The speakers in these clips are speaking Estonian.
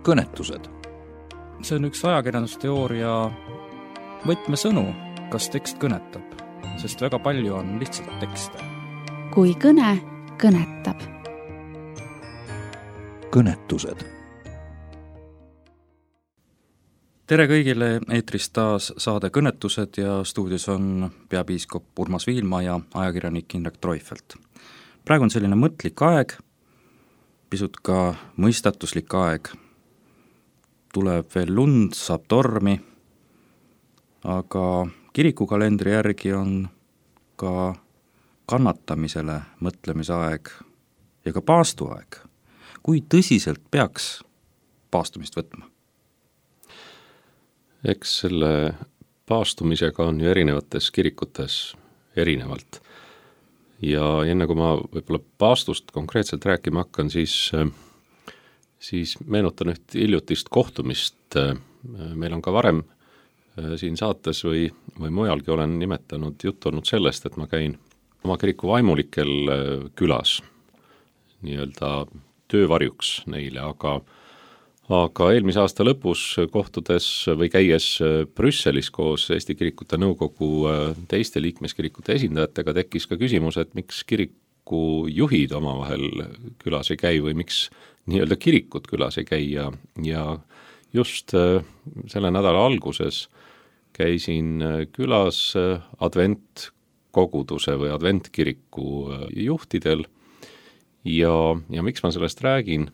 kõnetused. See on üks ajakirjandusteooria võtmesõnu, kas tekst kõnetab, sest väga palju on lihtsalt tekste. Kui kõne kõnetab. Kõnetused. Tere kõigile, eetris taas saade Kõnetused ja stuudios on peapiiskop Urmas Viilma ja ajakirjanik Indrek Treufelt. Praegu on selline mõtlik aeg, pisut ka mõistatuslik aeg. Tuleb veel lund, saab tormi, aga kirikukalendri järgi on ka kannatamisele mõtlemise aeg ja ka paastuaeg. Kui tõsiselt peaks paastumist võtma? Eks selle paastumisega on ju erinevates kirikutes erinevalt. Ja enne kui ma võib-olla paastust konkreetselt rääkima hakkan, siis meenutan üht hiljutist kohtumist. Meil on ka varem siin saates või mujalgi olen nimetanud juttu olnud sellest, et ma käin oma kiriku vaimulikel külas nii-öelda töövarjuks neile, aga eelmise aasta lõpus kohtudes või käies Brüsselis koos Eesti Kirikute Nõukogu teiste liikmeskirikute esindajatega tekkis ka küsimus, et miks kiriku juhid omavahel külas ei käi või miks nii-öelda kirikud külas ei käi ja just selle nädala alguses käisin külas adventkoguduse või adventkiriku juhtidel ja miks ma sellest räägin?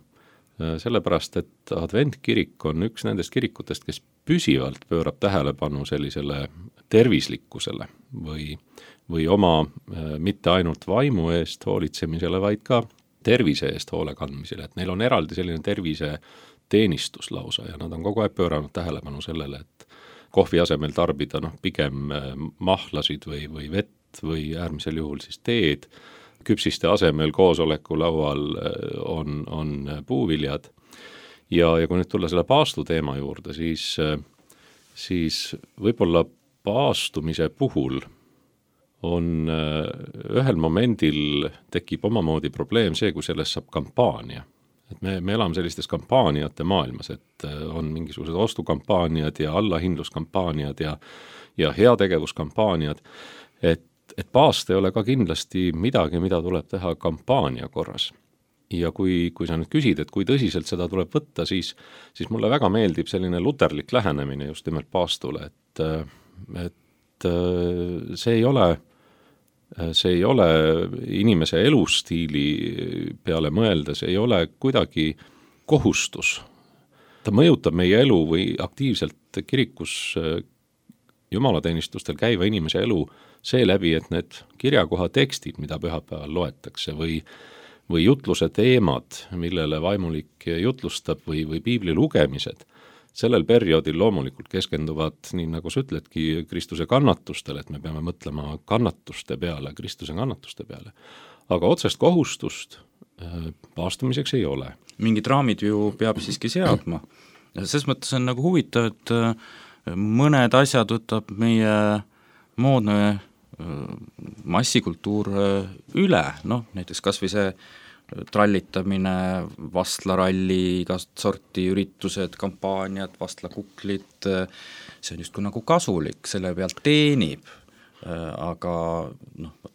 Sellepärast, et adventkirik on üks nendest kirikutest, kes püsivalt pöörab tähelepanu sellisele tervislikkusele või oma mitte ainult vaimu eest hoolitsemisele, vaid ka tervise eest hoole kandmisele. Et neil on eraldi selline tervise teenistus lausa ja nad on kogu aeg pööranud tähelepanu sellele, et kohvi asemel tarbida pigem mahlasid või vett või äärmisel juhul siis teed. Küpsiste asemel koosoleku laual on puuviljad ja kui nüüd tulla selle paastu teema juurde, siis võib-olla paastumise puhul on ühel momendil tekib omamoodi probleem see, kui sellest saab kampaania. Et me elame sellistes kampaaniate maailmas, et on mingisugused ostukampaaniad ja allahindluskampaaniad ja heategevuskampaaniad, et paast ei ole ka kindlasti midagi, mida tuleb teha kampaania korras. Ja kui sa nüüd küsid, et kui tõsiselt seda tuleb võtta, siis mulle väga meeldib selline luterlik lähenemine just nimelt paastule, et see ei ole inimese elustiili peale mõeldes, ei ole kuidagi kohustus. Ta mõjutab meie elu või aktiivselt kirikus jumalateenistustel käiva inimese elu seeläbi, et need kirjakoha tekstid, mida pühapäeval loetakse või jutluse teemad, millele vaimulik jutlustab või piibli lugemised, sellel perioodil loomulikult keskenduvad, nii nagu sa ütledki, Kristuse kannatustele, et me peame mõtlema kannatuste peale, Kristuse kannatuste peale. Aga otsest kohustust paastumiseks ei ole. Mingid raamid ju peab siiski seadma. Selles mõttes on nagu huvitav, et mõned asjad võtab meie moodne massikultuur üle, näiteks kas või see trallitamine, vastlaralli, igast sorti üritused, kampaaniad, vastlakuklid, see on justkui nagu kasulik, selle pealt teenib, aga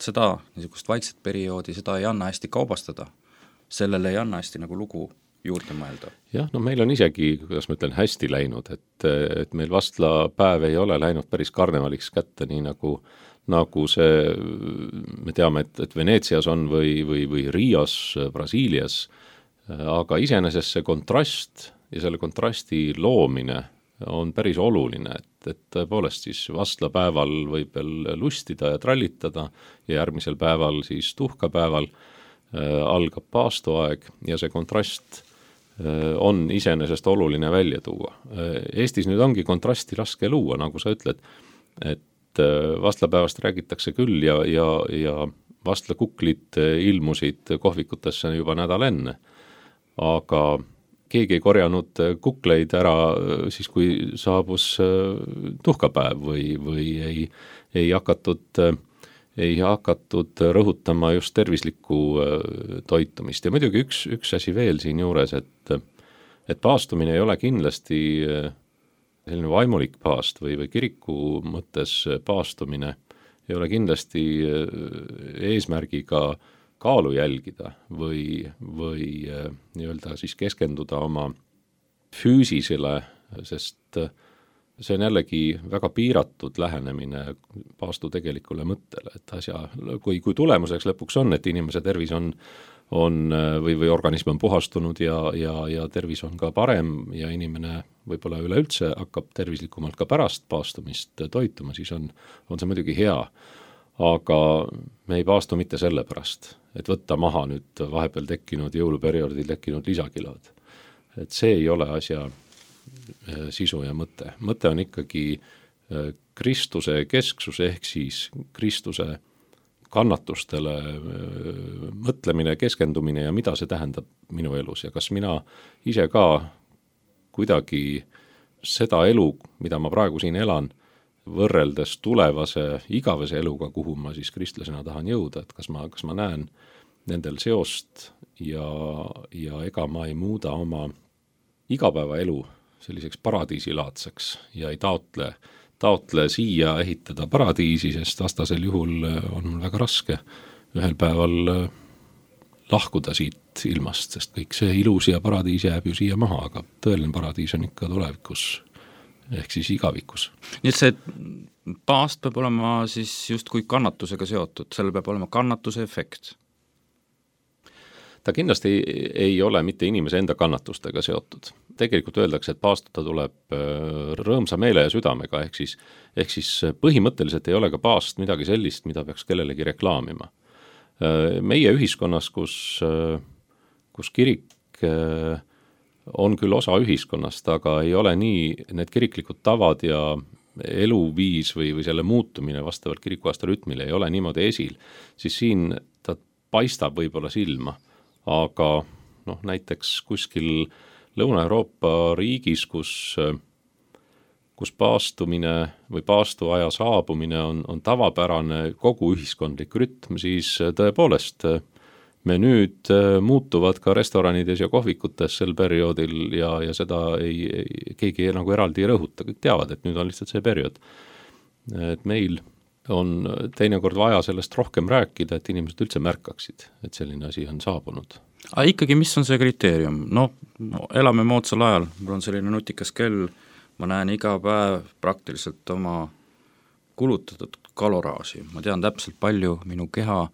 seda niisugust vaikset perioodi, seda ei anna hästi kaubastada, sellele ei anna hästi nagu lugu juurde mõelda. Jah, meil on isegi, kuidas ma ütlen, hästi läinud, et meil vastlapäev ei ole läinud päris karnevaliks kätte, nii nagu see, me teame, et Veneetsias on või Rios, Brasiilias, aga iseenesest see kontrast ja selle kontrasti loomine on päris oluline, et tõepoolest siis vastlapäeval võib veel lustida ja trallitada ja järgmisel päeval siis tuhkapäeval algab paastuaeg ja see kontrast on iseenesest oluline välja tuua. Eestis nüüd ongi kontrasti raske luua, nagu sa ütled, et vastlapäevast räägitakse küll ja vastlakuklid ilmusid kohvikutesse juba nädal enne, aga keegi ei korjanud kukleid ära siis, kui saabus tuhkapäev või ei hakatud rõhutama just tervislikku toitumist. Ja muidugi üks asi veel siin juures, et paastumine ei ole kindlasti selline vaimulik paast või kiriku mõttes paastumine ei ole kindlasti eesmärgiga kaalu jälgida või nii-öelda siis keskenduda oma füüsisele, sest see on jällegi väga piiratud lähenemine paastu tegelikule mõttele, et kui tulemuseks lõpuks on, et inimese tervis on või organism on puhastunud ja tervis on ka parem ja inimene võib-olla üleüldse hakkab tervislikumalt ka pärast paastumist toituma, siis on see muidugi hea. Aga me ei paastu mitte selle pärast, et võtta maha nüüd vahepeal tekkinud jõuluperioodil tekkinud lisakilod. Et see ei ole asja sisu ja mõte. Mõte on ikkagi Kristuse kesksus ehk siis Kristuse kannatustele mõtlemine, keskendumine ja mida see tähendab minu elus ja kas mina ise ka kuidagi seda elu, mida ma praegu siin elan, võrreldes tulevase igavese eluga, kuhu ma siis kristlasena tahan jõuda, et kas ma näen nendel seost ja ega ma ei muuda oma igapäevaelu selliseks paradiisilaadseks ja ei taotle siia ehitada paradiisi, sest vastasel juhul on mul väga raske ühel päeval lahkuda siit ilmast, sest kõik see ilus ja paradiis jääb ju siia maha, aga tõeline paradiis on ikka tulevikus, ehk siis igavikus. Nii et see paast peab olema siis justkui kannatusega seotud, sellel peab olema kannatuse efekt? Ta kindlasti ei ole mitte inimese enda kannatustega seotud. Tegelikult öeldakse, et paastuda tuleb rõõmsa meele ja südamega, ehk siis põhimõtteliselt ei ole ka paast midagi sellist, mida peaks kellelegi reklaamima. Meie ühiskonnas, kus kirik on küll osa ühiskonnast, aga ei ole nii need kiriklikud tavad ja eluviis või selle muutumine vastavalt kirikuaasta rütmile ei ole niimoodi esil, siis siin ta paistab võib-olla silma. Aga näiteks kuskil Lõuna-Euroopa riigis, kus paastumine või paastuaja saabumine on tavapärane kogu ühiskondlik rütm, siis tõepoolest menüüd muutuvad ka restoranides ja kohvikutes sel perioodil ja seda keegi nagu eraldi ei rõhuta, kõik teavad, et nüüd on lihtsalt see periood. Et meil on teinekord vaja sellest rohkem rääkida, et inimesed üldse märkaksid, et selline asi on saabunud. Aga ikkagi, mis on see kriteerium? Elame moodsal ajal, mul on selline nutikas kell, ma näen iga päev praktiliselt oma kulutatud kaloraaži, ma tean täpselt palju minu keha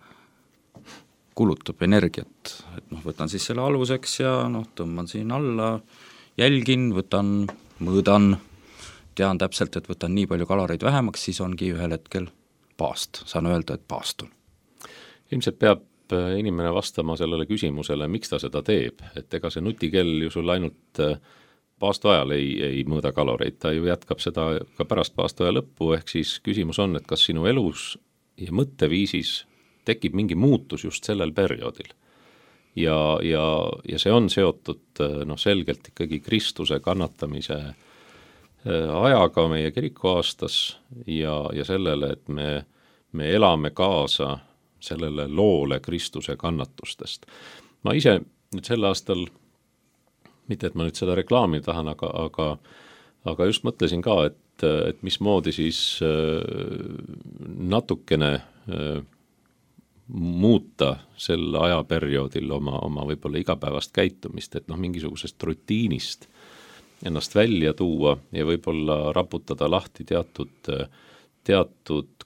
kulutab energiat, et võtan siis selle aluseks ja tõmban siin alla, jälgin, mõõdan, tean täpselt, et võtan nii palju kaloreid vähemaks, siis ongi ühel hetkel paast, saan öelda, et paastun. Ilmselt peab inimene vastama sellele küsimusele, miks ta seda teeb, et ega see nutikell ju sul ainult paastu ajal ei mõõda kaloreid, ta ju jätkab seda ka pärast paastu aja lõppu, ehk siis küsimus on, et kas sinu elus ja mõtteviisis tekib mingi muutus just sellel perioodil. Ja see on seotud selgelt ikkagi Kristuse kannatamise ajaga meie kirikuaastas ja sellele, et me elame kaasa sellele loole Kristuse kannatustest. Ma ise nüüd sel aastal, mitte et ma nüüd seda reklaami tahan, aga just mõtlesin ka, et mismoodi siis natukene muuta sel ajaperioodil oma võib-olla igapäevast käitumist, et mingisugusest rutiinist ennast välja tuua ja võib-olla raputada lahti teatud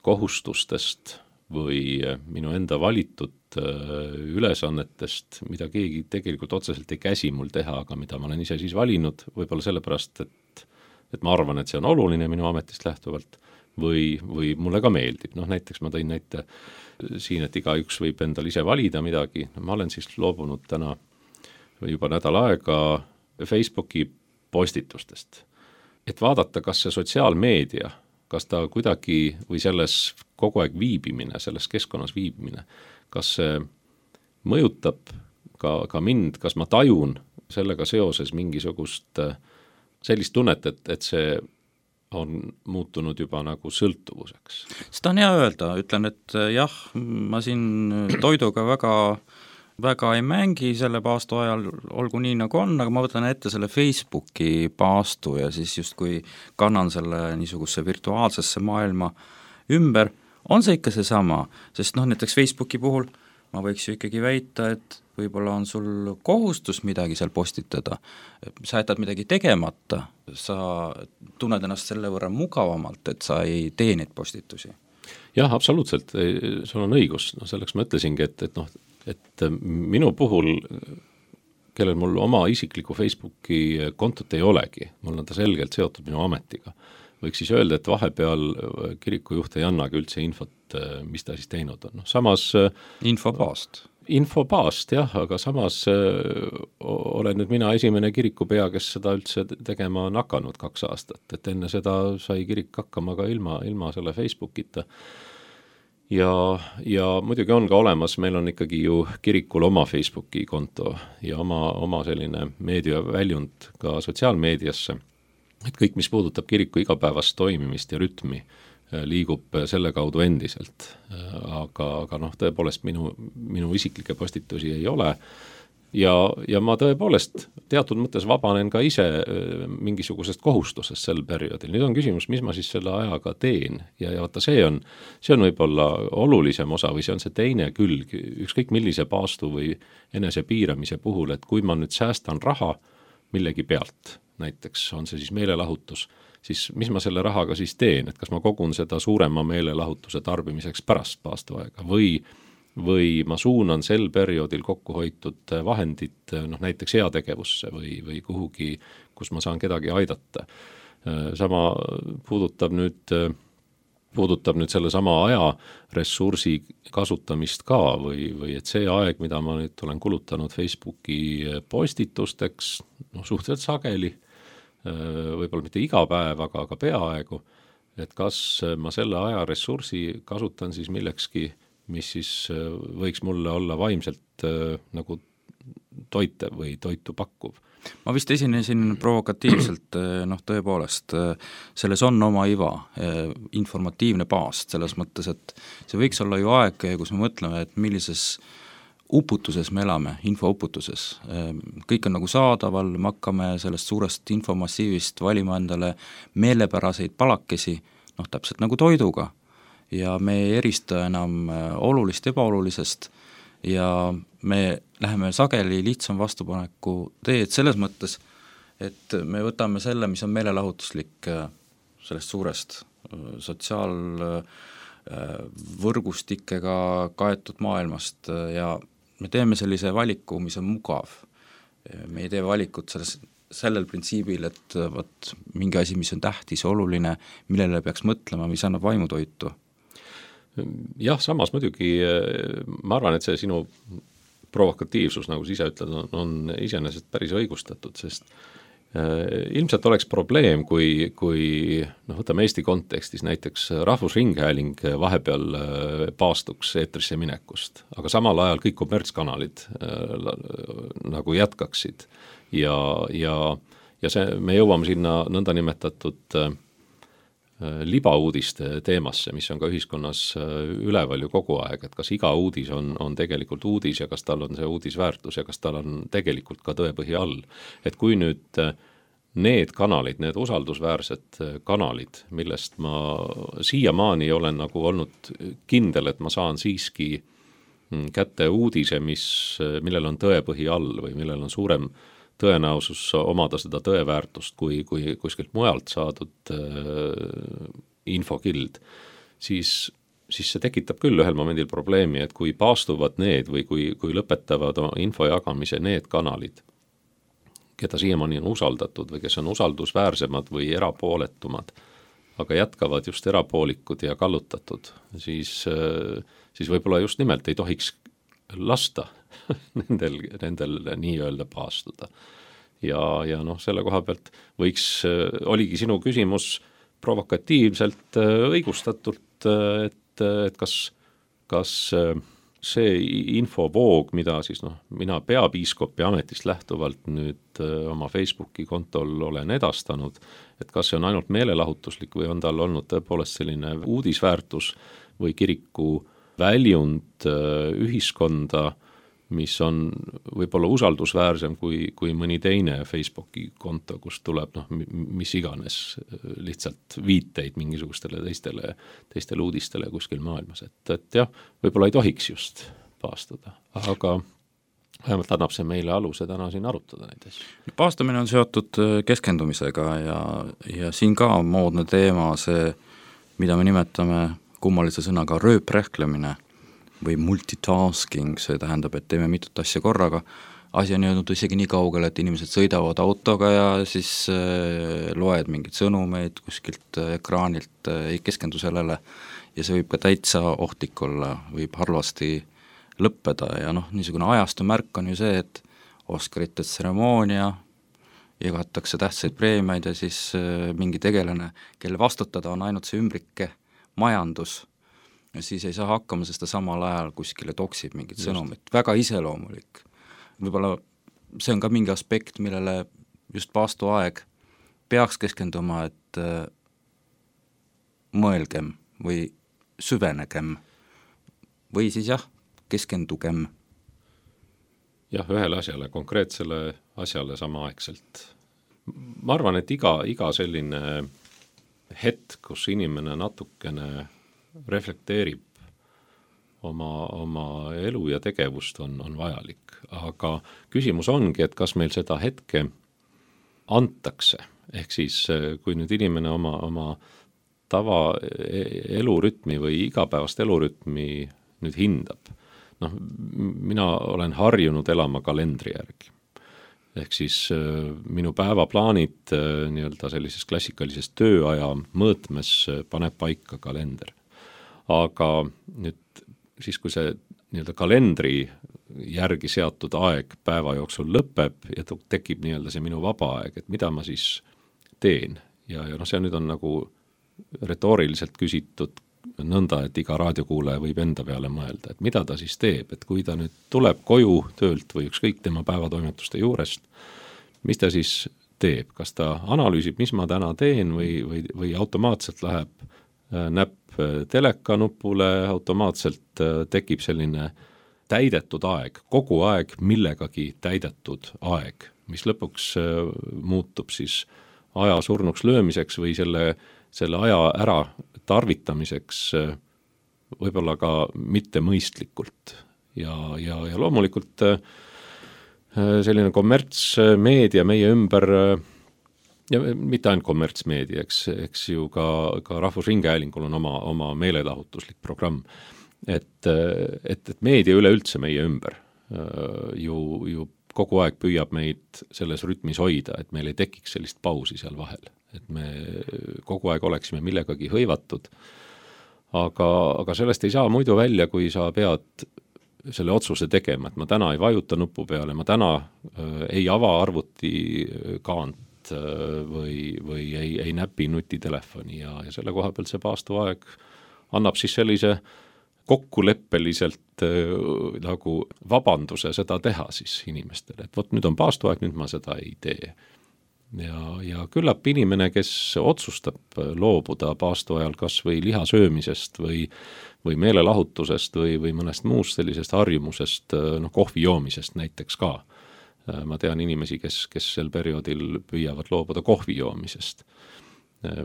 kohustustest või minu enda valitud ülesannetest, mida keegi tegelikult otseselt ei käsi mul teha, aga mida ma olen ise siis valinud, võib-olla sellepärast, et ma arvan, et see on oluline minu ametist lähtuvalt või mulle ka meeldib. Näiteks ma tõin näite siin, et igaüks võib endal ise valida midagi. Ma olen siis loobunud täna juba nädal aega Facebooki postitustest, et vaadata, kas see sotsiaalmeedia, kas ta kuidagi või selles kogu aeg viibimine, selles keskkonnas viibimine, kas see mõjutab ka mind, kas ma tajun sellega seoses mingisugust sellist tunnet, et see on muutunud juba nagu sõltuvuseks. Seda on hea öelda, ütlen, et jah, ma siin toiduga väga väga ei mängi selle paastu ajal, olgu nii nagu on, aga ma võtan ette selle Facebooki paastu ja siis justkui kannan selle niisuguse virtuaalsesse maailma ümber, on see ikka seesama, sest näiteks Facebooki puhul ma võiks ju ikkagi väita, et võib-olla on sul kohustus midagi seal postitada, sa jätad midagi tegemata, sa tunned ennast selle võrra mugavamalt, et sa ei tee neid postitusi. Jah, absoluutselt, sul on õigus, selleks ma ütlesingi, et minu puhul, kellel mul oma isikliku Facebooki kontot ei olegi, mul on ta selgelt seotud minu ametiga, võiks siis öelda, et vahepeal kirikujuht ei annagi üldse infot, mis ta siis teinud on. Samas Infopaast, jah, aga samas olen nüüd mina esimene kirikupea, kes seda üldse tegema on hakanud 2 aastat, et enne seda sai kirik hakkama ka ilma selle Facebookita. Ja muidugi on ka olemas, meil on ikkagi ju kirikul oma Facebooki konto ja oma selline meediaväljund ka sotsiaalmeediasse, et kõik, mis puudutab kiriku igapäevast toimimist ja rütmi, liigub selle kaudu endiselt, aga tõepoolest minu isiklikke postitusi ei ole ja ma tõepoolest teatud mõttes vabanen ka ise mingisugusest kohustusest sel perioodil. Nüüd on küsimus, mis ma siis selle ajaga teen ja vaata, see on võib-olla olulisem osa või see on see teine külg, ükskõik millise paastu või enesepiiramise puhul, et kui ma nüüd säästan raha millegi pealt, näiteks on see siis meelelahutus, siis mis ma selle rahaga siis teen, et kas ma kogun seda suurema meelelahutuse tarbimiseks pärast paastuaega või ma suunan sel perioodil kokkuhoitud vahendid näiteks heategevusse või kuhugi, kus ma saan kedagi aidata. Sama puudutab nüüd selle sama aja ressursi kasutamist ka või et see aeg, mida ma nüüd olen kulutanud Facebooki postitusteks, suhteliselt sageli, võib-olla mitte iga päev, aga peaaegu, et kas ma selle aja ressursi kasutan siis millekski, mis siis võiks mulle olla vaimselt nagu toitev või toitu pakkuv. Ma vist esinesin provokatiivselt, tõepoolest, selles on oma iva, informatiivne paast, selles mõttes, et see võiks olla ju aeg, kus me mõtleme, et millises uputuses me elame, infouputuses. Kõik on nagu saadaval, me hakkame sellest suurest infomassiivist valima endale meelepäraseid palakesi, täpselt nagu toiduga. Ja me ei erista enam olulist ebaolulisest ja me läheme sageli lihtsam vastupaneku teed selles mõttes, et me võtame selle, mis on meelelahutuslik sellest suurest sotsiaalvõrgustikega kaetud maailmast ja me teeme sellise valiku, mis on mugav. Me ei tee valikut sellel printsiibil, et mingi asi, mis on tähtis, oluline, millele peaks mõtlema, mis annab vaimutoitu. Jah, samas muidugi ma arvan, et see sinu provokatiivsus, nagu sa ise ütled, on iseenesest päris õigustatud, sest ilmselt oleks probleem, kui võtame Eesti kontekstis näiteks Rahvusringhääling vahepeal paastuks eetrisse minekust, aga samal ajal kõik kommertskanalid nagu jätkaksid ja see, me jõuame sinna nõndanimetatud libauudiste teemasse, mis on ka ühiskonnas üleval ju kogu aeg, et kas iga uudis on tegelikult uudis ja kas tal on see uudisväärtus ja kas tal on tegelikult ka tõepõhi all. Et kui nüüd need kanalid, need usaldusväärsed kanalid, millest ma siiamaani olen nagu olnud kindel, et ma saan siiski kätte uudise, millel on tõepõhi all või millel on suurem tõenäosus omada seda tõeväärtust kui kuskilt mujalt saadud infokild, siis see tekitab küll ühel momendil probleemi, et kui paastuvad need või kui lõpetavad info jagamise need kanalid, keda siiamaani on usaldatud või kes on usaldusväärsemad või erapooletumad, aga jätkavad just erapoolikud ja kallutatud, siis võib-olla just nimelt ei tohiks lasta nendel nii-öelda paastuda. Ja selle koha pealt oligi sinu küsimus provokatiivselt õigustatult, et kas see infovoog, mida siis mina peapiiskopi ametist lähtuvalt nüüd oma Facebooki kontol olen edastanud, et kas see on ainult meelelahutuslik või on tal olnud tõepoolest selline uudisväärtus või kiriku väljund ühiskonda mis on võib-olla usaldusväärsem kui mõni teine Facebooki konto, kus tuleb mis iganes lihtsalt viiteid mingisugustele teistele uudistele kuskil maailmas, et jah, võib-olla ei tohiks just paastuda, aga vähemalt annab see meile aluse täna siin arutada neid asju. Paastumine on seotud keskendumisega ja siin ka on moodne teema see, mida me nimetame kummalise sõnaga rööprähklemine või multitasking, see tähendab, et teeme mitut asja korraga. Asi on jõudnud isegi nii kaugele, et inimesed sõidavad autoga ja siis loed mingid sõnumeid kuskilt ekraanilt, ei keskendu sellele ja see võib ka täitsa ohtlik olla, võib halvasti lõppeda ja niisugune ajastu märk on ju see, et Oscarite tseremoonia, jagatakse tähtsaid preemiaid ja siis mingi tegelane, kelle vastutada on ainult see ümbrike majandus, ja siis ei saa hakkama, sest ta samal ajal kuskile toksib mingit sõnumit, väga iseloomulik. Võib-olla see on ka mingi aspekt, millele just paastuaeg peaks keskenduma, et mõelgem või süvenegem või siis keskendugem. Jah, ühele asjale, konkreetsele asjale samaaegselt. Ma arvan, et iga selline hetk, kus inimene natukene reflekteerib oma elu ja tegevust on vajalik. Aga küsimus ongi, et kas meil seda hetke antakse. Ehk siis, kui nüüd inimene oma tava elurütmi või igapäevast elurütmi nüüd hindab, mina olen harjunud elama kalendri järgi. Ehk siis minu päevaplaanid nii-öelda sellises klassikalises tööaja mõõtmes paneb paika kalender. Aga nüüd siis, kui see nii-öelda kalendri järgi seatud aeg päeva jooksul lõpeb ja tekib nii-öelda see minu vaba aeg, et mida ma siis teen. Ja see nüüd on nagu retooriliselt küsitud nõnda, et iga raadiokuulaja võib enda peale mõelda, et mida ta siis teeb, et kui ta nüüd tuleb koju töölt või ükskõik tema päevatoimetuste juurest, mis ta siis teeb, kas ta analüüsib, mis ma täna teen või automaatselt läheb näpp teleka nupule, automaatselt tekib selline täidetud aeg, kogu aeg millegagi täidetud aeg, mis lõpuks muutub siis aja surnuks löömiseks või selle aja ära tarvitamiseks võib-olla ka mitte mõistlikult. Ja loomulikult selline kommertsmeedia meie ümber ja mitte ainult kommertsmeedia, eks ju ka Rahvusringhäälingul on oma meelelahutuslik programm, et meedia üleüldse meie ümber ju kogu aeg püüab meid selles rütmis hoida, et meil ei tekiks sellist pausi seal vahel, et me kogu aeg oleksime millegagi hõivatud, aga sellest ei saa muidu välja, kui sa pead selle otsuse tegema, et ma täna ei vajuta nupu peale, ma täna ei ava arvuti kaant või ei näpi nutitelefoni ja selle koha pealt see paastuaeg annab siis sellise kokkuleppeliselt nagu vabanduse seda teha siis inimestele, et vot nüüd on paastuaeg, nüüd ma seda ei tee. Ja küllap inimene, kes otsustab loobuda paastuajal kas või liha söömisest või meelelahutusest või mõnest muust sellisest harjumusest, kohvi joomisest näiteks ka. Ma tean inimesi, kes sel perioodil püüavad loobuda kohvi joomisest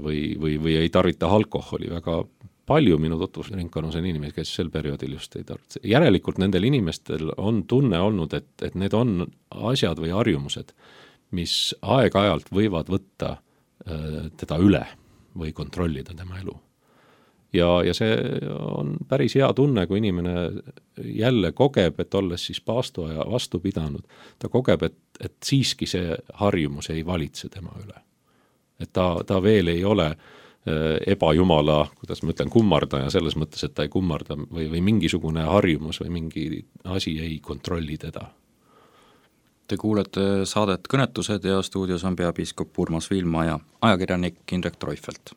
või ei tarvita alkoholi. Väga palju minu tutvusringkonnas on inimesi, kes sel perioodil just ei tarvita. Järelikult nendel inimestel on tunne olnud, et need on asjad või harjumused, mis aeg-ajalt võivad võtta teda üle või kontrollida tema elu. Ja see on päris hea tunne, kui inimene jälle kogeb, et olles siis paastuaja vastu pidanud, ta kogeb, et siiski see harjumus ei valitse tema üle. Et ta veel ei ole ebajumala, kuidas ma ütlen, kummardaja selles mõttes, et ta ei kummarda või mingisugune harjumus või mingi asi ei kontrolli teda. Te kuulete saadet Kõnetused ja stuudios on peapiiskop Urmas Viilma ja ajakirjanik Indrek Treufelt.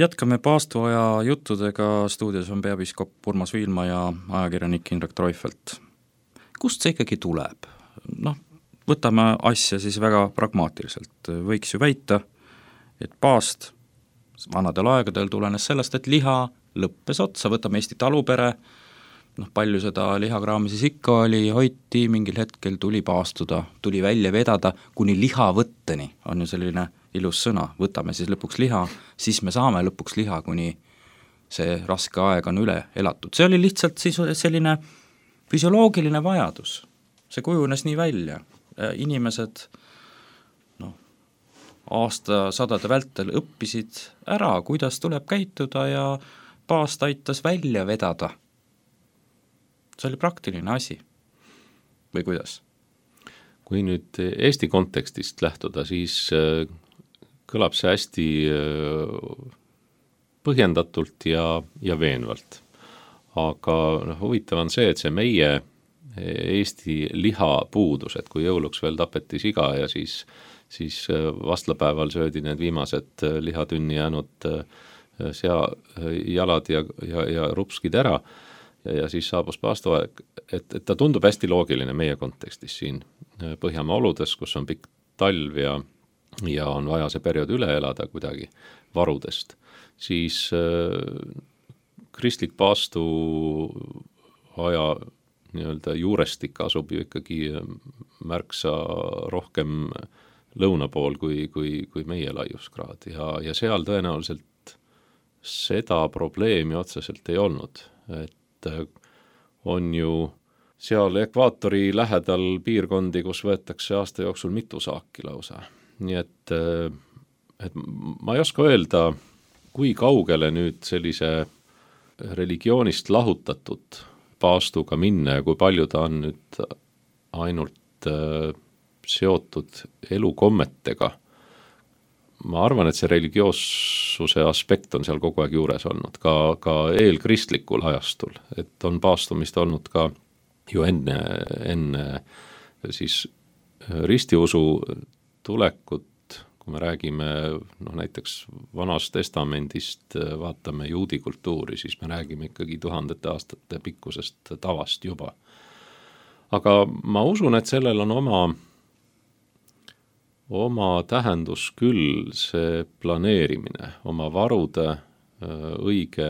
Jätkame paastuaja juttudega, stuudios on peapiiskop Urmas Viilma ja ajakirjanik Indrek Treufelt. Kust see ikkagi tuleb? Võtame asja siis väga pragmaatiliselt. Võiks ju väita, et paast vanadel aegadel tulenes sellest, et liha lõppes otsa, võtame Eesti talupere, palju seda lihakraami siis ikka oli, hoiti, mingil hetkel tuli paastuda, tuli välja vedada kuni lihavõtteni, on ju selline ilus sõna, võtame siis lõpuks liha, siis me saame lõpuks liha, kuni see raske aeg on üle elatud. See oli lihtsalt siis selline füsioloogiline vajadus, see kujunes nii välja. Inimesed aastasadade vältel õppisid ära, kuidas tuleb käituda ja paast aitas välja vedada. See oli praktiline asi. Või kuidas? Kui nüüd Eesti kontekstist lähtuda, siis kõlab see hästi põhjendatult ja veenvalt. Aga huvitav on see, et see meie Eesti lihapuudus, et kui jõuluks veel tapeti siga ja siis vastlapäeval söödi need viimased lihatünni jäänud jalad ja rupskid ära ja siis saabus paastuaeg, et ta tundub hästi loogiline meie kontekstis siin Põhjamaa oludes, kus on pikk talv ja on vaja see periood üle elada kuidagi varudest, siis kristlik paastu aja nii-öelda juurestik asub ju ikkagi märksa rohkem lõuna pool kui meie laiuskraad ja seal tõenäoliselt seda probleemi otseselt ei olnud, et on ju seal ekvaatori lähedal piirkondi, kus võetakse aasta jooksul mitu saaki lausa. Nii et ma ei oska öelda, kui kaugele nüüd sellise religioonist lahutatud paastuga minna ja kui palju ta on nüüd ainult seotud elukommetega. Ma arvan, et see religioossuse aspekt on seal kogu aeg juures olnud, ka eelkristlikul ajastul, et on paastumist olnud ka ju enne siis ristiusu tulekut, kui me räägime näiteks Vanast Testamendist, vaatame juudi kultuuri, siis me räägime ikkagi tuhandete aastate pikkusest tavast juba. Aga ma usun, et sellel on oma tähendus küll see planeerimine, oma varude õige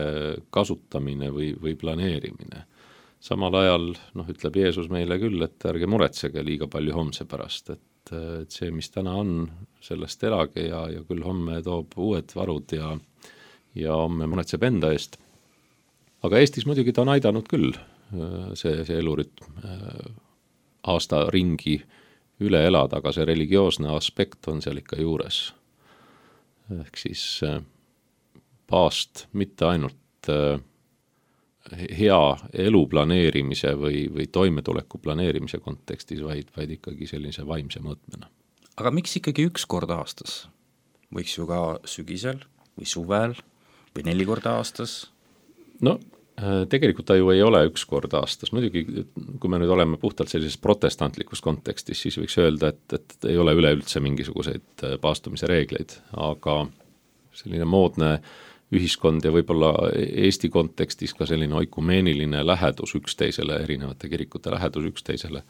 kasutamine või planeerimine. Samal ajal ütleb Jeesus meile küll, et ärge muretsege liiga palju homse pärast, et see, mis täna on, sellest elage ja küll homme toob uued varud ja homme muretseb enda eest. Aga Eestis muidugi ta on aidanud küll see elurütm aasta ringi üle elada, aga see religioosne aspekt on seal ikka juures. Ehk siis paast mitte ainult hea elu planeerimise või toimetuleku planeerimise kontekstis, vaid ikkagi sellise vaimse mõõtmena. Aga miks ikkagi üks kord aastas? Võiks ju ka sügisel või suvel või 4 korda aastas? Tegelikult ta ju ei ole üks kord aastas. Muidugi, kui me nüüd oleme puhtalt sellises protestantlikus kontekstis, siis võiks öelda, et ei ole üleüldse mingisuguseid paastumise reegleid, aga selline moodne ühiskond ja võib-olla Eesti kontekstis ka selline oikumeeniline lähedus üksteisele, erinevate kirikute lähedus üksteisele,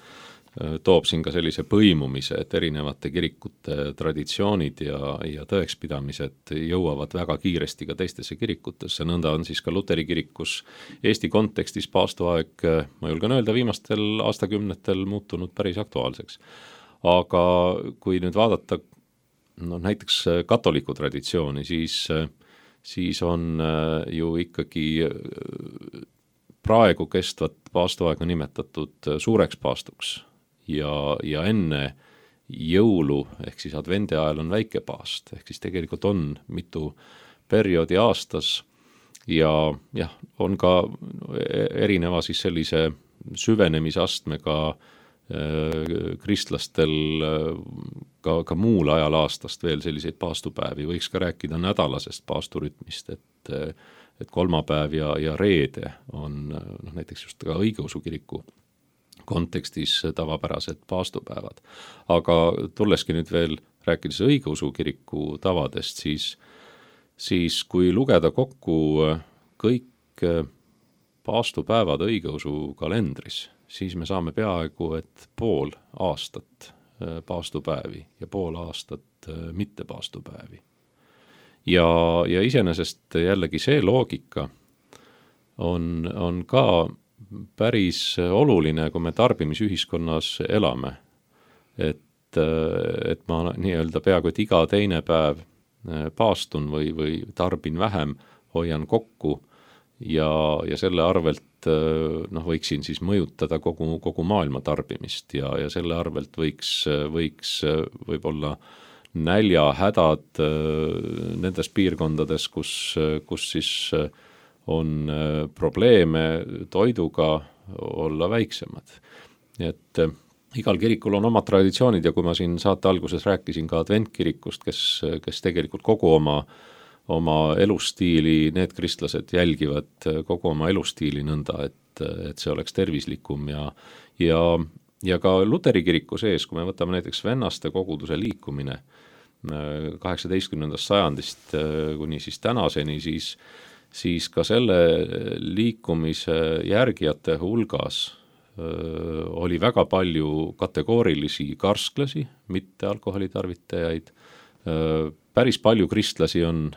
toob siin ka sellise põimumise, et erinevate kirikute traditsioonid ja tõekspidamised jõuavad väga kiiresti ka teistesse kirikutesse. Nõnda on siis ka Luteri kirikus Eesti kontekstis paastuaeg, ma julgen öelda, viimastel aastakümnetel muutunud päris aktuaalseks. Aga kui nüüd vaadata näiteks katoliku traditsiooni, siis on ju ikkagi praegu kestvat paastuaega nimetatud suureks paastuks ja enne jõulu ehk siis advendi ajal on väike paast, ehk siis tegelikult on mitu perioodi aastas ja on ka erineva siis sellise süvenemisastmega kristlastel ka muul ajal aastast veel selliseid paastupäevi, võiks ka rääkida nädalasest paasturütmist, et kolmapäev ja reede on näiteks just ka õigeusu kiriku kontekstis tavapärased paastupäevad. Aga tulleski nüüd veel rääkides õigeusu kiriku tavadest, siis kui lugeda kokku kõik paastupäevad õigeusu kalendris, siis me saame peaaegu, et pool aastat paastupäevi ja pool aastat mitte paastupäevi. Ja iseenesest jällegi see loogika on ka päris oluline, kui me tarbimisühiskonnas elame. Et ma nii-öelda peaaegu, et iga teine päev paastun või tarbin vähem, hoian kokku ja selle arvelt võiksin siis mõjutada kogu maailma tarbimist ja selle arvelt võiks võib-olla näljahädad nendes piirkondades, kus siis on probleeme toiduga, olla väiksemad. Et igal kirikul on omad traditsioonid ja kui ma siin saate alguses rääkisin ka adventkirikust, kes tegelikult kogu oma elustiili, need kristlased jälgivad kogu oma elustiili nõnda, et see oleks tervislikum ja ka Luteri kiriku sees, kui me võtame näiteks vennaste koguduse liikumine 18. sajandist kuni siis tänaseni, siis ka selle liikumise järgijate hulgas oli väga palju kategoorilisi karsklasi, mitte alkoholitarvitajaid. Päris palju kristlasi on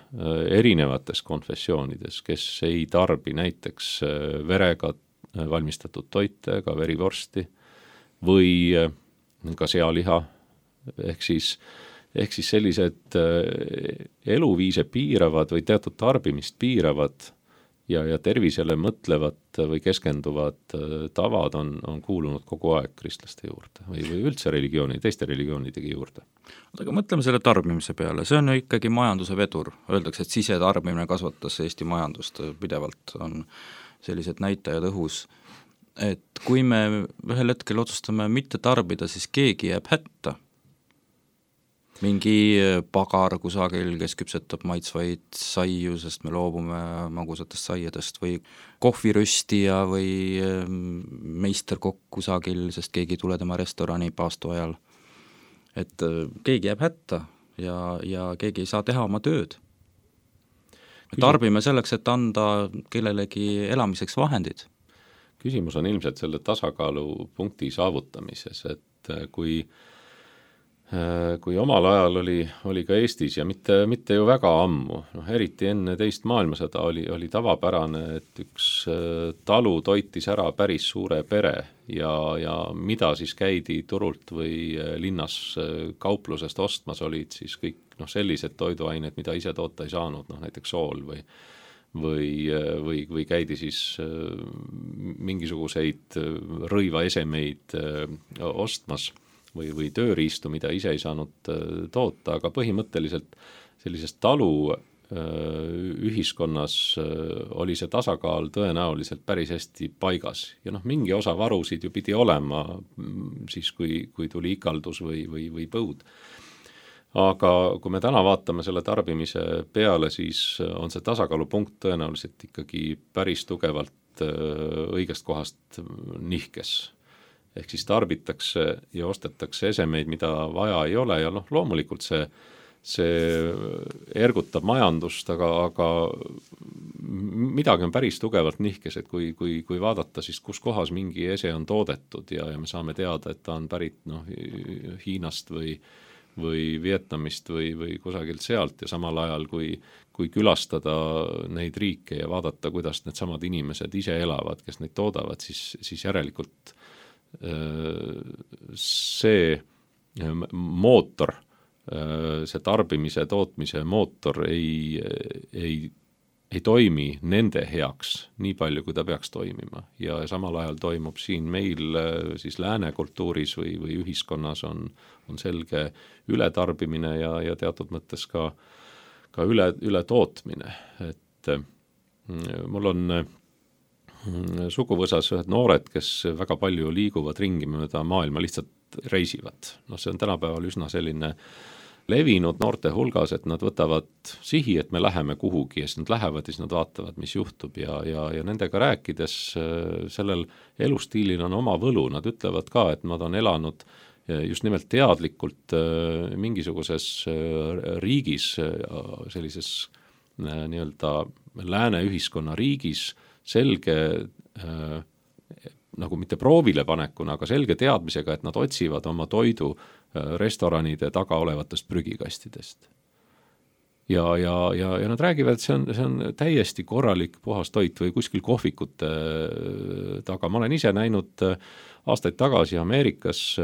erinevates konfessioonides, kes ei tarbi näiteks verega valmistatud toite, ka verivorsti või ka sealiha, ehk siis sellised eluviise piiravad või teatud tarbimist piiravad ja tervisele mõtlevad või keskenduvad tavad on kuulunud kogu aeg kristlaste juurde või üldse teiste religioonidegi juurde. Aga mõtleme selle tarbimise peale, see on ju ikkagi majanduse vedur, öeldakse, et sisetarbimine kasvatas Eesti majandust pidevalt, on sellised näitajad õhus, et kui me ühel hetkel otsustame mitte tarbida, siis keegi jääb hätta. Mingi pagar kusagil, kes küpsetab maitsvaid saiu, sest me loobume magusatest saiadest või kohviröstija või meisterkokk kusagil, sest keegi ei tule tema restorani paastu ajal. Et keegi jääb hätta ja keegi ei saa teha oma tööd. Me tarbime selleks, et anda kellelegi elamiseks vahendid. Küsimus on ilmselt selle tasakaalupunkti saavutamises, et kui omal ajal oli ka Eestis ja mitte ju väga ammu, eriti enne teist maailmasõda oli tavapärane, et üks talu toitis ära päris suure pere ja mida siis käidi turult või linnas kauplusest ostmas olid siis kõik sellised toiduained, mida ise toota ei saanud, näiteks sool või käidi siis mingisuguseid rõivaesemeid ostmas või tööriistu, mida ise ei saanud toota, aga põhimõtteliselt sellises talu ühiskonnas oli see tasakaal tõenäoliselt päris hästi paigas ja mingi osa varusid ju pidi olema siis, kui tuli ikaldus või põud. Aga kui me täna vaatame selle tarbimise peale, siis on see tasakaalupunkt tõenäoliselt ikkagi päris tugevalt õigest kohast nihkes. Ehk siis tarbitakse ja ostetakse esemeid, mida vaja ei ole ja loomulikult see ergutab majandust, aga midagi on päris tugevalt nihkes, et kui vaadata siis, kus kohas mingi ese on toodetud ja me saame teada, et ta on pärit Hiinast või Vietnamist või kusagilt sealt ja samal ajal, kui külastada neid riike ja vaadata, kuidas need samad inimesed ise elavad, kes neid toodavad, siis järelikult see mootor, see tarbimise, tootmise mootor ei toimi nende heaks nii palju, kui ta peaks toimima ja samal ajal toimub siin meil siis lääne kultuuris või ühiskonnas on selge ületarbimine ja teatud mõttes ka üle tootmine, et mul on suguvõsas ühed noored, kes väga palju liiguvad ringi mööda maailma, lihtsalt reisivad. See on tänapäeval üsna selline levinud noorte hulgas, et nad võtavad sihi, et me läheme kuhugi ja siis nad lähevad ja siis nad vaatavad, mis juhtub ja nendega rääkides sellel elustiilil on oma võlu, nad ütlevad ka, et nad on elanud just nimelt teadlikult mingisuguses riigis, sellises nii-öelda lääne ühiskonna riigis selge nagu mitte proovile panekuna, aga selge teadmisega, et nad otsivad oma toidu restoranide taga olevatest prügikastidest. Ja nad räägivad, et see on täiesti korralik puhas toit või kuskil kohvikute taga. Ma olen ise näinud aastaid tagasi Ameerikas,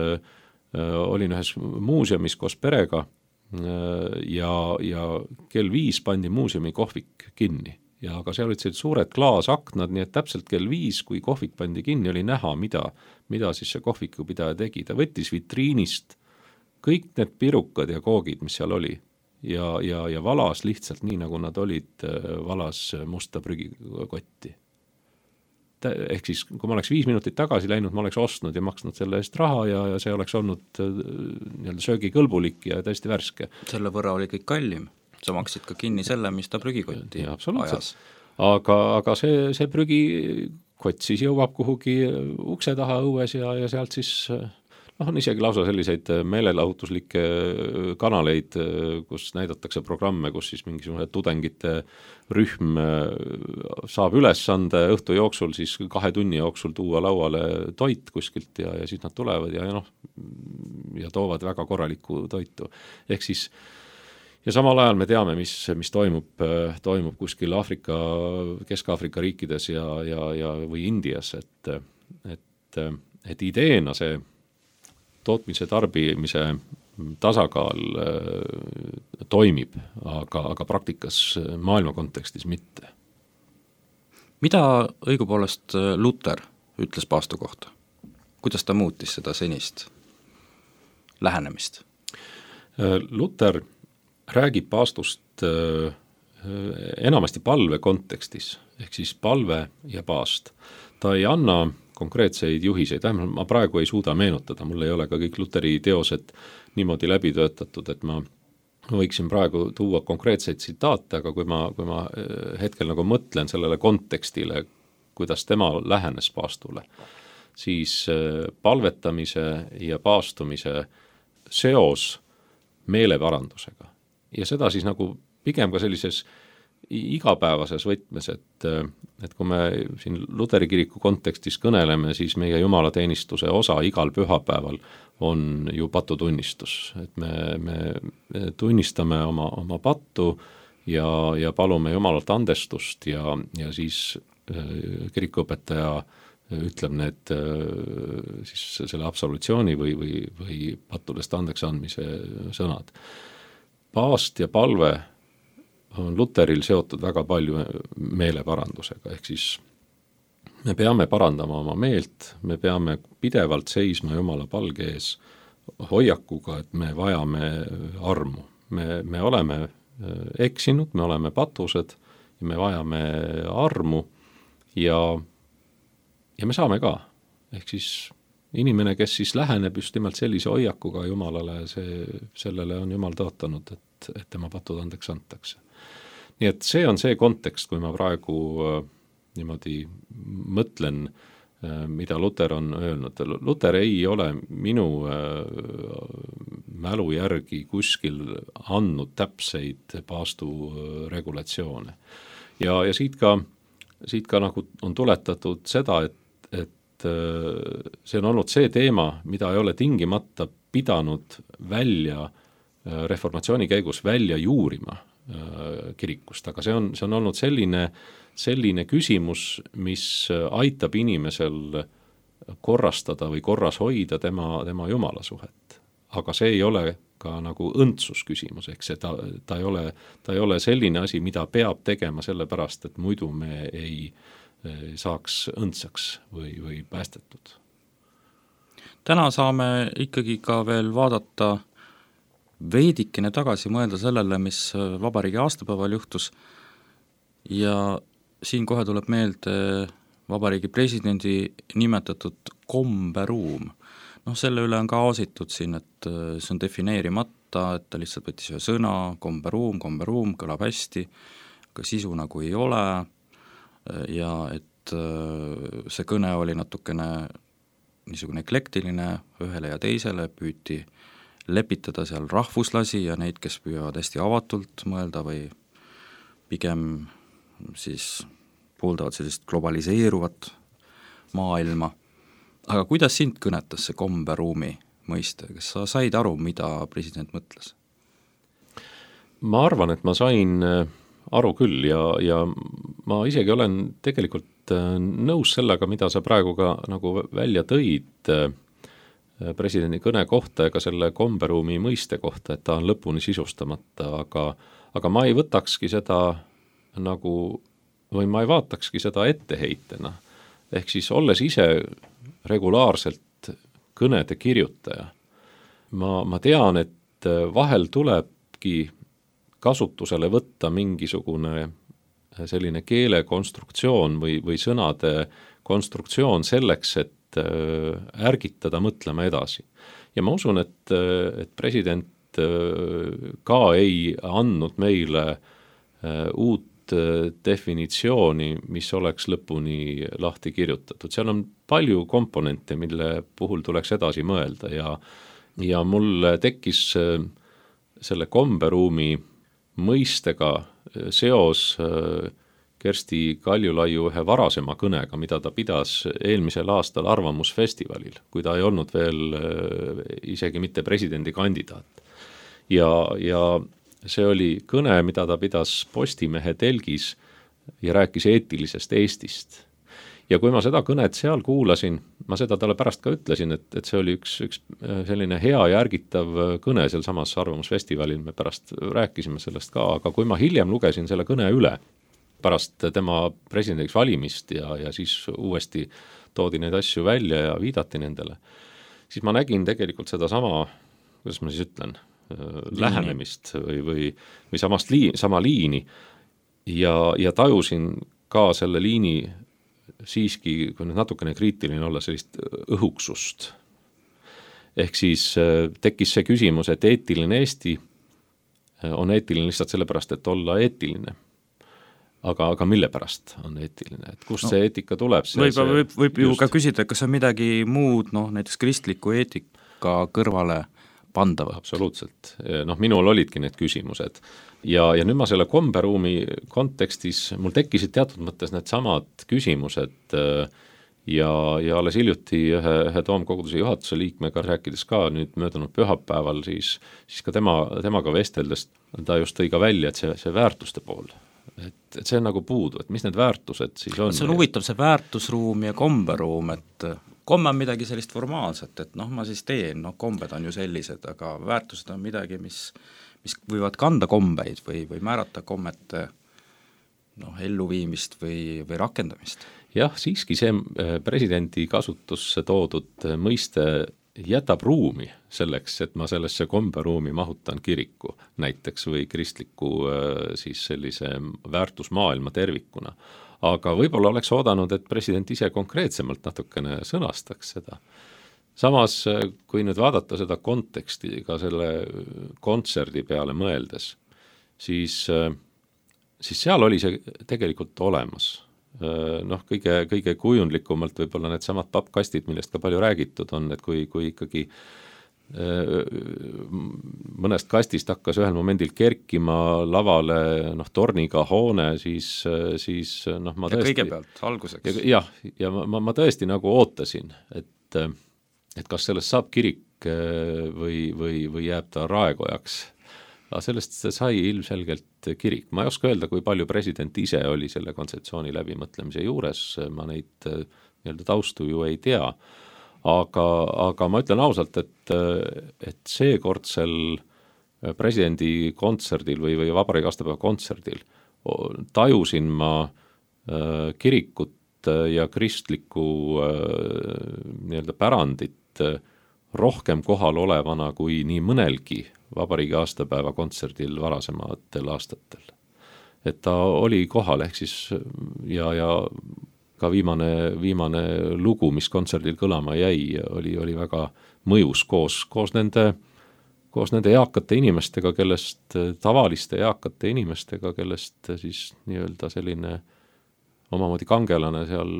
olin ühes muuseumis koos perega ja kell 5 pandi muuseumi kohvik kinni. Ja aga seal olid sellised suured klaasaknad, nii et täpselt kell 5, kui kohvik pandi kinni, oli näha, mida siis see kohvikupidaja tegi. Ta võttis vitriinist kõik need pirukad ja koogid, mis seal oli ja valas lihtsalt nii, nagu nad olid, valas musta prügikotti. Ehk siis, kui ma oleks 5 minutit tagasi läinud, ma oleks ostnud ja maksnud selle eest raha ja see oleks olnud söögikõlbulik ja täiesti värske. Selle võrra oli kõik kallim. Sa maksid ka kinni selle, mis ta prügikotti ajas. Aga see prügikott siis jõuab kuhugi ukse taha õues ja sealt siis on isegi lausa selliseid meelelahutuslikke kanaleid, kus näidatakse programme, kus siis mingisugune tudengite rühm saab ülesande õhtu jooksul siis 2 tunni jooksul tuua lauale toit kuskilt ja siis nad tulevad ja toovad väga korralikku toitu. Ehk siis ja samal ajal me teame, mis toimub kuskil Kesk-Aafrika riikides ja või Indias, et ideena see tootmise tarbimise tasakaal toimib, aga praktikas maailma kontekstis mitte. Mida õigupoolest Luther ütles paastu kohta? Kuidas ta muutis seda senist lähenemist? Luther räägib paastust enamasti palve kontekstis, ehk siis palve ja paast. Ta ei anna konkreetseid juhiseid, vähemalt ma praegu ei suuda meenutada, mul ei ole ka kõik Lutheri teosed niimoodi läbi töötatud, et ma võiksin praegu tuua konkreetseid tsitaate, aga kui ma hetkel nagu mõtlen sellele kontekstile, kuidas tema lähenes paastule, siis palvetamise ja paastumise seos meeleparandusega. Ja seda siis nagu pigem ka sellises igapäevases võtmes, et kui me siin Luteri kiriku kontekstis kõneleme, siis meie jumalateenistuse osa igal pühapäeval on ju patutunnistus. Et me tunnistame oma pattu ja palume Jumalalt andestust ja siis kirikuõpetaja ütleb need siis selle absolutsiooni või pattudest andeks andmise sõnad. Paast ja palve on Luteril seotud väga palju meeleparandusega, ehk siis me peame parandama oma meelt, me peame pidevalt seisma Jumala palge ees hoiakuga, et me vajame armu. Me oleme eksinud, me oleme patused ja me vajame armu ja me saame ka. Ehk siis inimene, kes siis läheneb just nimelt sellise hoiakuga Jumalale, sellele on Jumal tõotanud, et tema patud andeks antakse. Nii et see on see kontekst, kui ma praegu niimoodi mõtlen, mida Luther on öelnud. Luther ei ole minu mälu järgi kuskil andnud täpseid paastu regulatsioone. Ja siit ka nagu on tuletatud seda, et see on olnud see teema, mida ei ole tingimata pidanud välja reformatsiooni käigus välja juurima kirikust, aga see on olnud selline küsimus, mis aitab inimesel korrastada või korras hoida tema Jumala suhet. Aga see ei ole ka nagu õndsusküsimus, ehk see ta ei ole selline asi, mida peab tegema sellepärast, et muidu me ei saaks õndsaks või päästetud. Täna saame ikkagi ka veel vaadata veidikene tagasi, mõelda sellele, mis vabariigi aastapäeval juhtus ja siin kohe tuleb meelde vabariigi presidendi nimetatud komberuum. Selle üle on ka aasitud siin, et see on defineerimata, et ta lihtsalt võttis ühe sõna, komberuum, kõlab hästi, aga sisu nagu ei ole ja et see kõne oli natukene niisugune eklektiline ühele ja teisele, püüti lepitada seal rahvuslasi ja neid, kes püüavad hästi avatult mõelda või pigem siis pooldavad sellist globaliseeruvat maailma, aga kuidas sind kõnetas see komberuumi mõiste, kas sa said aru, mida president mõtles? Ma arvan, et ma sain aru küll ja ma isegi olen tegelikult nõus sellega, mida sa praegu ka nagu välja tõid presidendi kõne kohta ja ka selle komberuumi mõiste kohta, et ta on lõpuni sisustamata, aga ma ei võtakski seda nagu, või ma ei vaatakski seda etteheitena. Ehk siis olles ise regulaarselt kõnede kirjutaja, ma tean, et vahel tulebki kasutusele võtta mingisugune selline keelekonstruktsioon või sõnade konstruktsioon selleks, et ärgitada mõtlema edasi. Ja ma usun, et president ka ei andnud meile uut definitsiooni, mis oleks lõpuni lahti kirjutatud. Seal on palju komponente, mille puhul tuleks edasi mõelda ja mul tekkis selle komberuumi mõistega seos Kersti Kaljulaiu ühe varasema kõnega, mida ta pidas eelmisel aastal Arvamusfestivalil, kui ta ei olnud veel isegi mitte presidendikandidaat. Ja see oli kõne, mida ta pidas Postimehe telgis ja rääkis eetilisest Eestist. Ja kui ma seda kõnet seal kuulasin, ma seda talle pärast ka ütlesin, et see oli üks selline hea ja ärgitav kõne seal samas Arvamusfestivalil, me pärast rääkisime sellest ka, aga kui ma hiljem lugesin selle kõne üle, pärast tema presidendiks valimist ja siis uuesti toodi neid asju välja ja viidati nendele, siis ma nägin tegelikult seda sama, kuidas ma siis ütlen, lähenemist või sama liini ja tajusin ka selle liini siiski, kui nüüd natukene kriitiline olla, sellist õhuksust. Ehk siis tekkis see küsimus, et eetiline Eesti on eetiline lihtsalt sellepärast, et olla eetiline. Aga mille pärast on eetiline, et kust see eetika tuleb? Võib ju ka küsida, kas on midagi muud, näiteks kristliku eetika kõrvale pandavat. Absoluutselt. Minul olidki need küsimused. Ja nüüd ma selle komberuumi kontekstis, mul tekkisid teatud mõttes need samad küsimused ja alles hiljuti ühe Toomkoguduse juhatuse liikmega rääkides ka nüüd möödunud pühapäeval, siis ka temaga vesteldes ta just tõi ka välja, et see väärtuste pool, et see on nagu puudu, et mis need väärtused siis on. See on huvitav, see väärtusruum ja komberuum, et komme on midagi sellist formaalset, et ma siis teen, kombed on ju sellised, aga väärtused on midagi, mis võivad kanda kombeid või määrata kommete elluviimist või rakendamist. Jah, siiski see presidendi kasutusse toodud mõiste jätab ruumi selleks, et ma sellesse komberuumi mahutan kiriku näiteks või kristliku siis sellise väärtusmaailma tervikuna. Aga võib-olla oleks oodanud, et president ise konkreetsemalt natukene sõnastaks seda. Samas, kui nüüd vaadata seda konteksti ka selle kontserdi peale mõeldes, siis seal oli see tegelikult olemas. Kõige kujundlikumalt võib-olla need samad pappkastid, millest ka palju räägitud on, et kui ikkagi mõnest kastist hakkas ühel momendil kerkima lavale torniga hoone, siis ma tõesti... Ja kõigepealt, alguseks. Ja ma tõesti nagu ootasin, et kas sellest saab kirik või jääb ta raekojaks. Sellest sai ilmselgelt kirik. Ma ei oska öelda, kui palju president ise oli selle kontseptsiooni läbimõtlemise juures, ma neid taustu ju ei tea. Aga ma ütlen ausalt, et seekordsel presidendi kontserdil või vabariigi aastapäeva kontserdil tajusin ma kirikut ja kristlikku pärandit rohkem kohal olevana kui nii mõnelgi vabariigi aastapäeva kontserdil varasematel aastatel. Et ta oli kohal, ehk siis ja ka viimane lugu, mis kontserdil kõlama jäi, oli väga mõjus koos nende eakate inimestega, tavaliste eakate inimestega, kellest siis nii-öelda selline omamoodi kangelane seal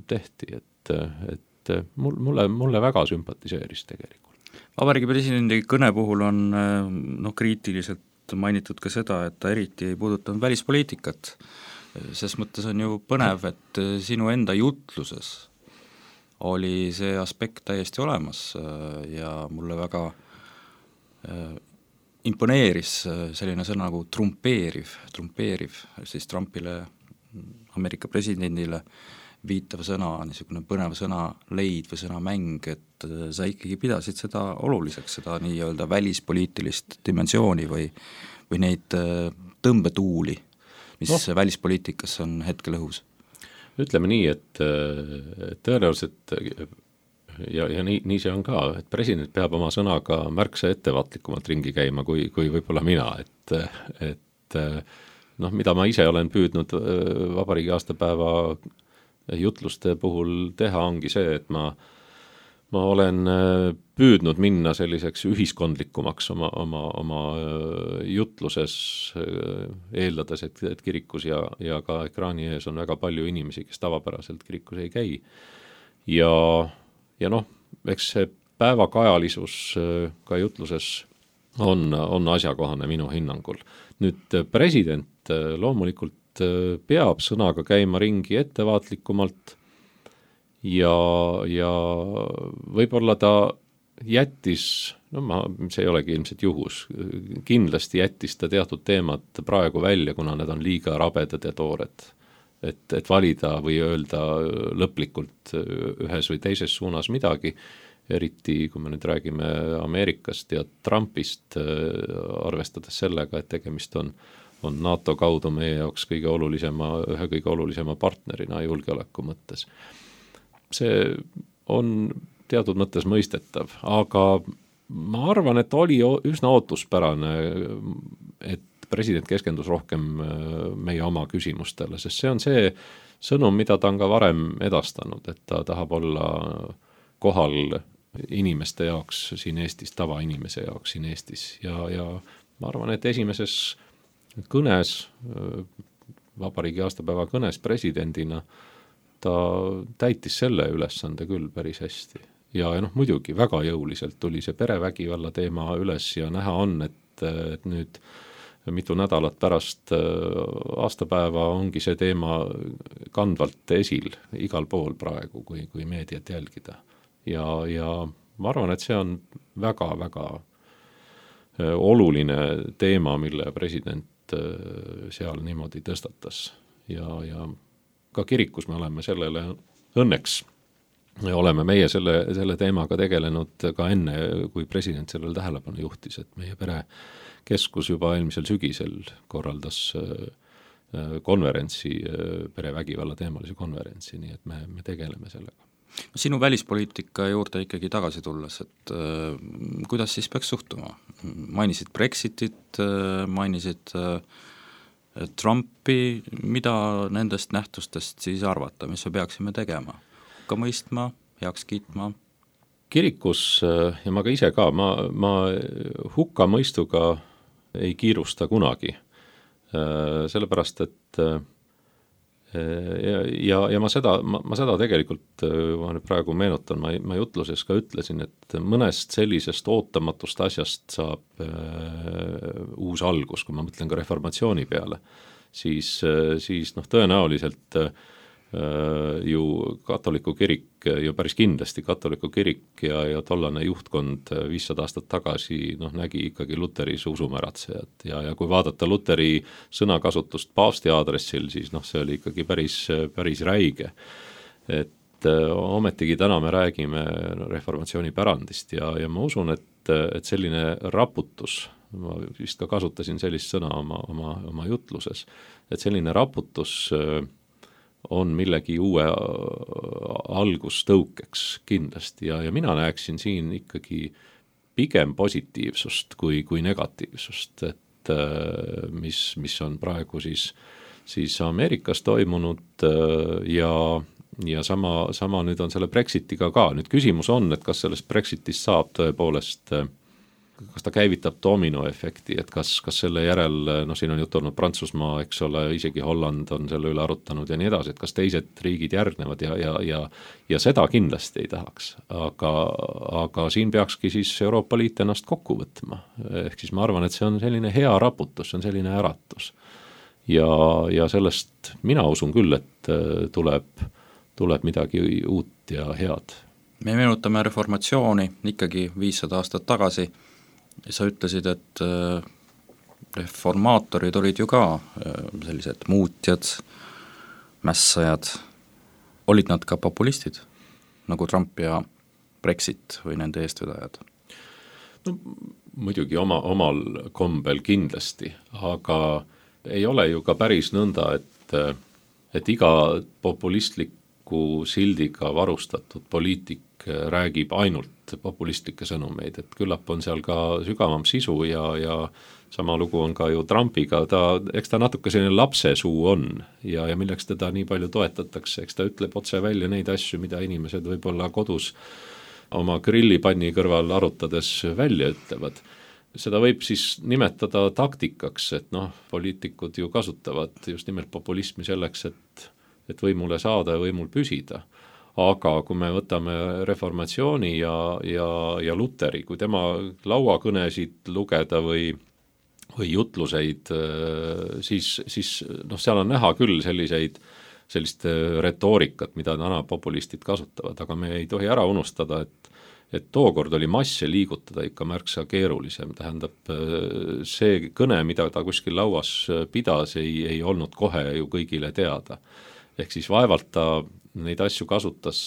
tehti, et mulle väga sümpatiseeris tegelikult. Vabariigi presidendi kõne puhul on kriitiliselt mainitud ka seda, et ta eriti ei puudutanud välispoliitikat. Ses mõttes on ju põnev, et sinu enda jutluses oli see aspekt täiesti olemas ja mulle väga imponeeris selline sõna nagu trumpeeriv, siis Trumpile, Ameerika presidendile viitav sõna, niisugune põnev sõnaleid või sõnamäng, et sa ikkagi pidasid seda oluliseks, seda nii-öelda välispoliitilist dimensiooni või neid tõmbetuuli, mis välispoliitikas on hetkel õhus? Ütleme nii, et tõenäoliselt ja nii see on ka, et president peab oma sõnaga märksa ettevaatlikumalt ringi käima kui võib-olla mina, et mida ma ise olen püüdnud vabariigi aastapäeva jutluste puhul teha, ongi see, et ma olen püüdnud minna selliseks ühiskondlikumaks oma jutluses, eeldades, et kirikus ja ka ekraani ees on väga palju inimesi, kes tavapäraselt kirikus ei käi. Ja eks see päevakajalisus ka jutluses on asjakohane minu hinnangul. Nüüd president loomulikult peab sõnaga käima ringi ettevaatlikumalt ja võib-olla ta jättis, see ei olegi ilmselt juhus, kindlasti jättis ta teatud teemad praegu välja, kuna need on liiga rabedad ja toored. Et valida või öelda lõplikult ühes või teises suunas midagi, eriti kui me nüüd räägime Ameerikast ja Trumpist, arvestades sellega, et tegemist on NATO kaudu meie jaoks ühe kõige olulisema partnerina julgeoleku mõttes. See on teatud mõttes mõistetav, aga ma arvan, et oli üsna ootuspärane, et president keskendus rohkem meie oma küsimustele, sest see on see sõnum, mida ta on ka varem edastanud, et ta tahab olla kohal inimeste jaoks siin Eestis, tavainimese jaoks siin Eestis ja ma arvan, et esimeses kõnes, vabariigi aastapäeva kõnes presidendina, ta täitis selle ülesande küll päris hästi. Ja muidugi väga jõuliselt tuli see perevägivalla teema üles ja näha on, et nüüd mitu nädalat pärast aastapäeva ongi see teema kandvalt esil igal pool praegu, kui meediat jälgida. Ja ma arvan, et see on väga-väga oluline teema, mille president seal niimoodi tõstatas. Ja ka kirikus me oleme sellele õnneks. Oleme meie selle teemaga tegelenud ka enne, kui president sellele tähelepanu juhtis, et meie perekeskus juba eelmisel sügisel korraldas konverentsi, perevägivalla teemalise konverentsi, nii et me tegeleme sellega. Sinu välispoliitika juurde ikkagi tagasi tulles, et kuidas siis peaks suhtuma? Mainisid Brexitit, mainisid Trumpi, mida nendest nähtustest siis arvata, mis me peaksime tegema? Ka mõistma, heaks kiitma? Kirikus ja ma ka ise ka, ma hukka mõistuga ei kiirusta kunagi, sellepärast, et ja ma seda tegelikult, ma nüüd praegu meenutan, ma jutluses ka ütlesin, et mõnest sellisest ootamatust asjast saab uus algus, kui ma mõtlen ka reformatsiooni peale, siis tõenäoliselt ju katoliku kirik, ju päris kindlasti katoliku kirik ja tollane juhtkond 500 aastat tagasi nägi ikkagi Luteris usumäratsejad ja kui vaadata Luteri sõnakasutust paavsti aadressil, siis see oli ikkagi päris räige. Et ometigi täna me räägime reformatsiooni pärandist ja ma usun, et selline raputus, ma vist ka kasutasin sellist sõna oma jutluses, et selline raputus on millegi uue algustõukeks kindlasti ja mina näeksin siin ikkagi pigem positiivsust kui negatiivsust, et mis on praegu siis Ameerikas toimunud ja sama nüüd on selle Brexitiga ka. Nüüd küsimus on, et kas sellest Brexitist saab tõepoolest kas ta käivitab dominoefekti, et kas selle järel, siin on jutt olnud Prantsusmaa, eks ole, isegi Holland on selle üle arutanud ja nii edasi, et kas teised riigid järgnevad ja seda kindlasti ei tahaks. Aga siin peakski siis Euroopa Liit ennast kokku võtma. Ehk siis ma arvan, et see on selline hea raputus, see on selline äratus. Ja sellest mina usun küll, et tuleb midagi uut ja head. Me meenutame reformatsiooni ikkagi 500 aastat tagasi. Sa ütlesid, et reformaatorid olid ju ka sellised muutjad, mässajad. Olid nad ka populistid, nagu Trump ja Brexit või nende eestvedajad? No muidugi omal kombel kindlasti, aga ei ole ju ka päris nõnda, et iga populistliku sildiga varustatud poliitik räägib ainult populistlikke sõnumeid, et küllap on seal ka sügavam sisu ja sama lugu on ka ju Trumpiga, eks ta natuke selline lapsesuu on ja milleks teda nii palju toetatakse, eks ta ütleb otse välja neid asju, mida inimesed võib-olla kodus oma grillipanni kõrval arutades välja ütlevad. Seda võib siis nimetada taktikaks, et poliitikud ju kasutavad just nimelt populismi selleks, et võimule saada ja võimul püsida. Aga kui me võtame reformatsiooni ja Luteri, kui tema lauakõnesid lugeda või jutluseid, siis seal on näha küll sellist retoorikat, mida täna populistid kasutavad, aga me ei tohi ära unustada, et tookord oli masse liigutada ikka märksa keerulisem, tähendab see kõne, mida ta kuskil lauas pidas, ei olnud kohe ju kõigile teada. Ehk siis vaevalt ta neid asju kasutas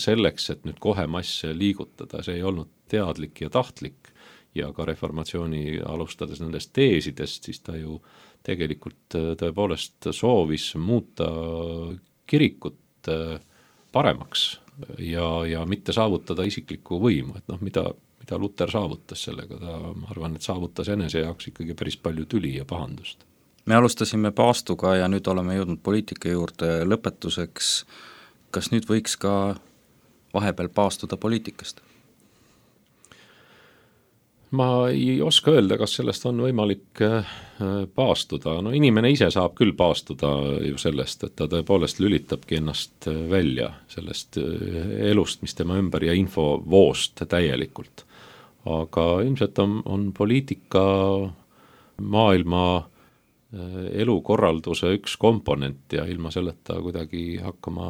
selleks, et nüüd kohe masse liigutada, see ei olnud teadlik ja tahtlik ja ka reformatsiooni alustades nendest teesidest, siis ta ju tegelikult tõepoolest soovis muuta kirikut paremaks ja mitte saavutada isiklikku võimu, et mida Luter saavutas sellega, ma arvan, et saavutas enese jaoks ikkagi päris palju tüli ja pahandust. Me alustasime paastuga ja nüüd oleme jõudnud poliitika juurde lõpetuseks. Kas nüüd võiks ka vahepeal paastuda poliitikast? Ma ei oska öelda, kas sellest on võimalik paastuda. Inimene ise saab küll paastuda ju sellest, et ta tõepoolest lülitabki ennast välja sellest elust, mis tema ümber ja infovoost täielikult. Aga ilmselt on poliitika maailma elukorralduse üks komponent ja ilma selleta kuidagi hakkama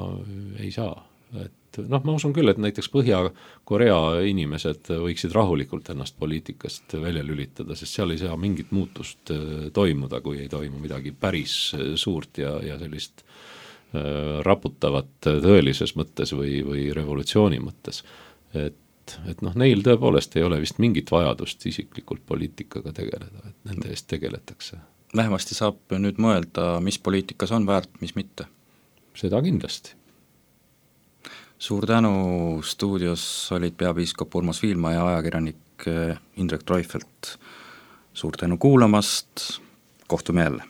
ei saa. Et ma usun küll, et näiteks Põhja-Korea inimesed võiksid rahulikult ennast poliitikast välja lülitada, sest seal ei saa mingit muutust toimuda, kui ei toimu midagi päris suurt ja sellist raputavat tõelises mõttes või revolutsiooni mõttes. Et neil tõepoolest ei ole vist mingit vajadust isiklikult poliitikaga tegeleda, et nende eest tegeletakse. Vähemasti saab nüüd mõelda, mis poliitikas on väärt, mis mitte. Seda kindlasti. Suur tänu, stuudios olid peapiiskop Urmas Viilma ja ajakirjanik Indrek Treufelt. Suur tänu kuulamast, kohtume jälle.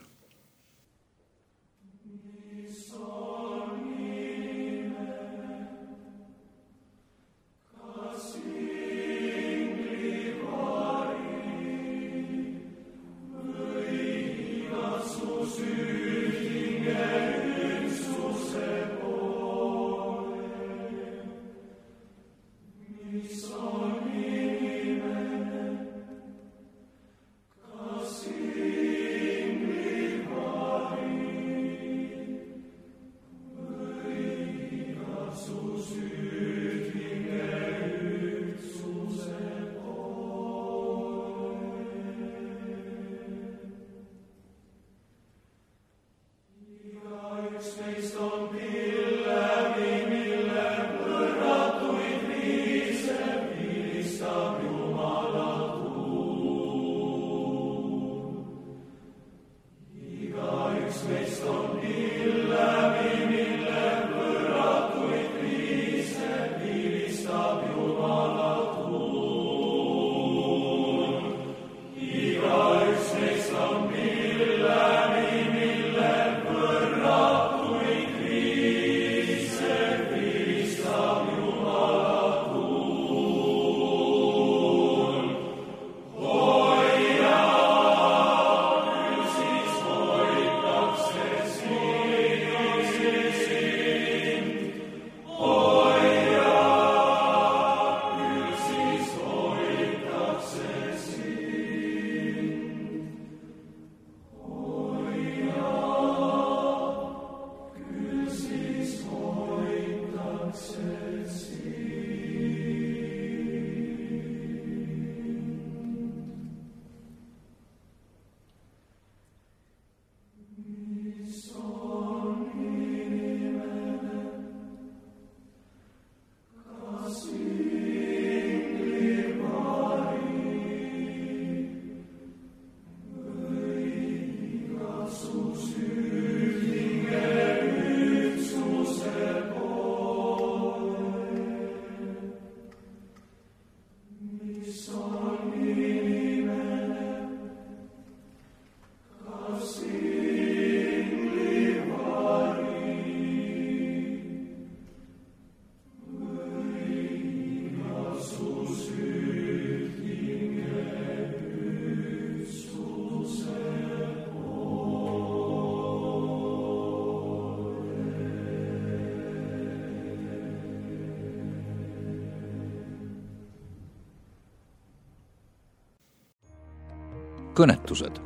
kõnetused.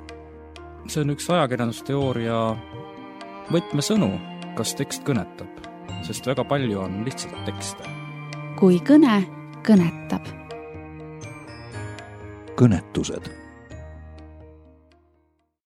see on üks ajakirjandusteooria võtmesõnu, kas tekst kõnetab, sest väga palju on lihtsalt tekste. kui kõne kõnetab. kõnetused